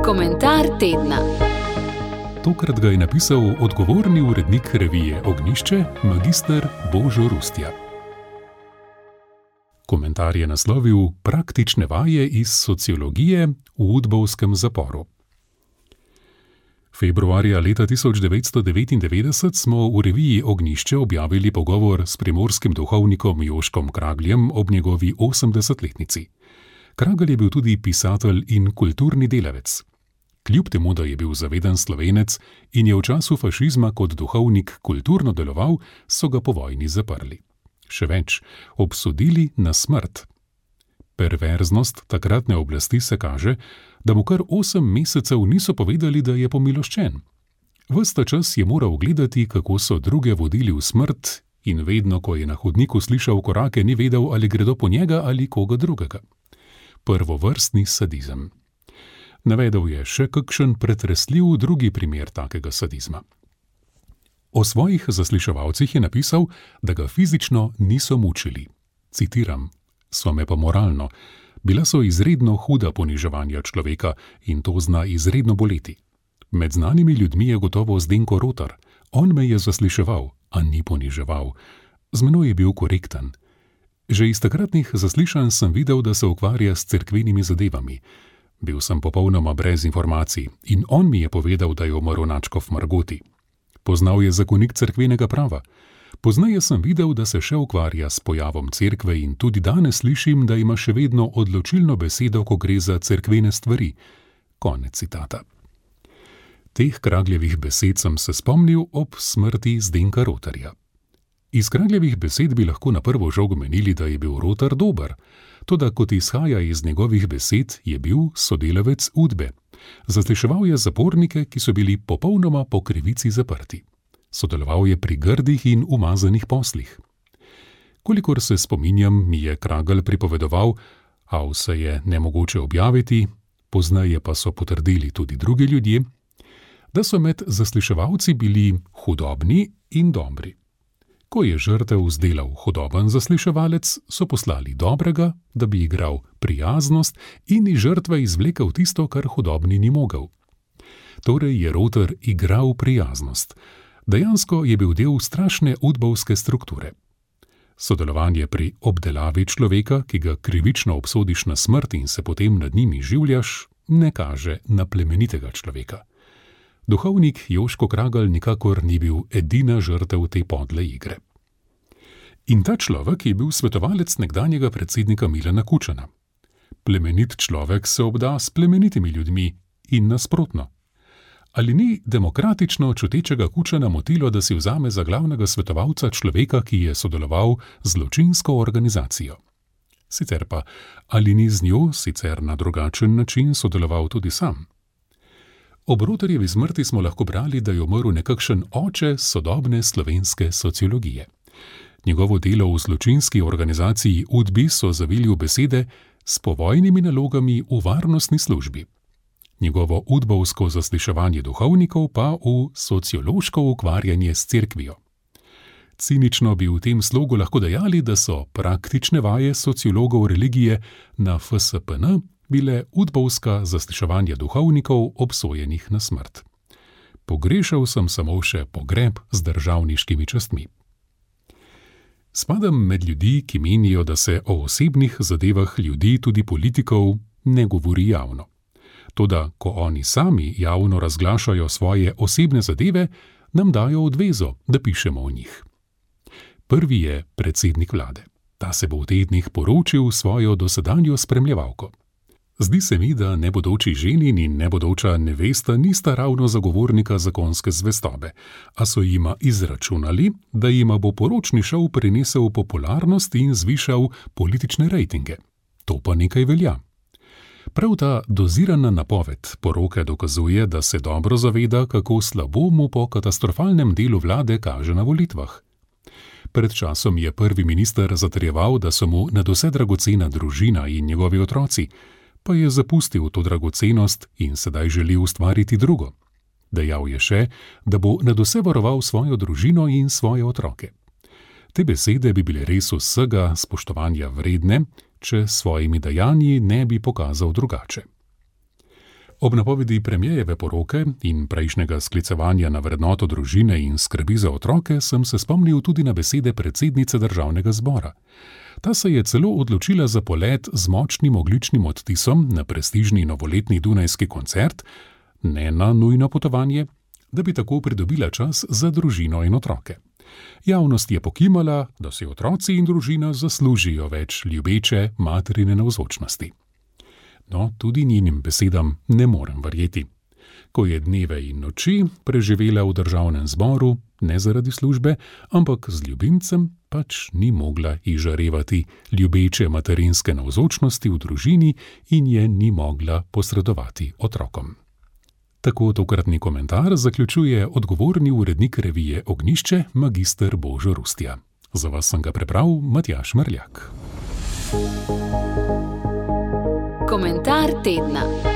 Komentar tedna. Tokrat ga je napisal odgovorni urednik revije Ognjišče, magister Božo Rustja. Komentar je naslovil Praktične vaje iz sociologije v udbovskem zaporu. Februarja leta 1999 smo v reviji Ognjišče objavili pogovor s primorskim duhovnikom Joškom Kragljem ob njegovi 80-letnici. Kragelj je bil tudi pisatelj in kulturni delavec. Kljub temu, da je bil zaveden Slovenec in je v času fašizma kot duhovnik kulturno deloval, so ga po vojni zaprli. Še več, obsodili na smrt. Perverznost takratne oblasti se kaže, da mu kar 8 mesecev niso povedali, da je pomiloščen. Ves ta čas je moral gledati, kako so druge vodili v smrt, in vedno, ko je na hodniku slišal korake, ni vedel, ali gredo po njega ali koga drugega. Prvovrstni sadizem. Navedel je še kakšen pretresljiv drugi primer takega sadizma. O svojih zasliševalcih je napisal, da ga fizično niso mučili. Citiram: "So me pa moralno. Bila so izredno huda poniževanja človeka in to zna izredno boleti. Med znanimi ljudmi je gotovo Zdenko Rotar. On me je zasliševal, a ni poniževal. Z menoj je bil korekten. Že iz takratnih zaslišanj sem videl, da se ukvarja s cerkvenimi zadevami. Bil sem popolnoma brez informacij in on mi je povedal, da je umrl nadškof Margoti. Poznal je zakonik cerkvenega prava. Pozneje sem videl, da se še ukvarja s pojavom cerkve in tudi danes slišim, da ima še vedno odločilno besedo, ko gre za cerkvene stvari." Konec citata. Teh Kragljevih besed sem se spomnil ob smrti Zdenka Rotarja. Iz Kragljevih besed bi lahko na prvo žogo menili, da je bil Rotar dober, toda kot izhaja iz njegovih besed, je bil sodelavec Udbe. Zasliševal je zapornike, ki so bili popolnoma po krivici zaprti. Sodeloval je pri grdih in umazanih poslih. Kolikor se spominjam, mi je Kragelj pripovedoval, a vse je nemogoče objaviti, pozneje pa so potrdili tudi drugi ljudje, da so med zasliševalci bili hudobni in dobri. Ko je žrtev zdelal hudoben zasliševalec, so poslali dobrega, da bi igral prijaznost in iz žrtve izvlekel tisto, kar hudobni ni mogel. Torej je Rotar igral prijaznost. Dejansko je bil del strašne udbovske strukture. Sodelovanje pri obdelavi človeka, ki ga krivično obsodiš na smrt in se potem nad njimi življaš, ne kaže na plemenitega človeka. Duhovnik Joško Kragelj nikakor ni bil edina žrtev te podle igre. In ta človek je bil svetovalec nekdanjega predsednika Milana Kučana. Plemenit človek se obda s plemenitimi ljudmi in nasprotno. Ali ni demokratično čutečega Kučana motilo, da si vzame za glavnega svetovalca človeka, ki je sodeloval z zločinsko organizacijo? Sicer pa, ali ni z njo, sicer na drugačen način, sodeloval tudi sam? Ob Rotarjevi smrti smo lahko brali, da je umrl nekakšen oče sodobne slovenske sociologije. Njegovo delo v zločinski organizaciji Udbi so zavili v besede s povojnimi nalogami v varnostni službi. Njegovo udbovsko zasliševanje duhovnikov pa v sociološko ukvarjanje s cerkvijo. Cinično bi v tem slogu lahko dejali, da so praktične vaje sociologov religije na FSPN bile udbovska zasliševanja duhovnikov obsojenih na smrt. Pogrešal sem samo še pogreb z državniškimi častmi. Spadam med ljudi, ki menijo, da se o osebnih zadevah ljudi, tudi politikov, ne govori javno. Toda, ko oni sami javno razglašajo svoje osebne zadeve, nam dajo odvezo, da pišemo o njih. Prvi je predsednik vlade. Ta se bo v tednih poročil svojo dosedanjo spremljevalko. Zdi se mi, da nebodoči ženin in nebodoča nevesta nista ravno zagovornika zakonske zvestobe, a so jima izračunali, da jima bo poročni šov prinesel popularnost in zvišal politične rejtinge. To pa nekaj velja. Prav ta dozirana napoved poroke dokazuje, da se dobro zaveda, kako slabo mu po katastrofalnem delu vlade kaže na volitvah. Pred časom je prvi minister zatrjeval, da so mu nadvse dragocena družina in njegovi otroci, pa je zapustil to dragocenost in sedaj želi ustvariti drugo. Dejal je še, da bo nadvse varoval svojo družino in svoje otroke. Te besede bi bile res vsega spoštovanja vredne, če s svojimi dejanji ne bi pokazal drugače. Ob napovedi premierjeve poroke in prejšnjega sklicevanja na vrednoto družine in skrbi za otroke sem se spomnil tudi na besede predsednice Državnega zbora. Ta se je celo odločila za polet z močnim ogljičnim odtisom na prestižni novoletni dunajski koncert, ne na nujno potovanje, da bi tako pridobila čas za družino in otroke. Javnost je pokimala, da si otroci in družina zaslužijo več ljubeče materine navzočnosti. No, tudi njenim besedam ne morem verjeti. Ko je dneve in noči preživela v Državnem zboru, ne zaradi službe, ampak z ljubimcem, pač ni mogla izžarevati ljubeče materinske navzočnosti v družini in je ni mogla posredovati otrokom. Tako tokratni komentar zaključuje odgovorni urednik revije Ognjišče, magister Božo Rustja. Za vas sem ga prebral Matjaž Merljak. Komentar tedna.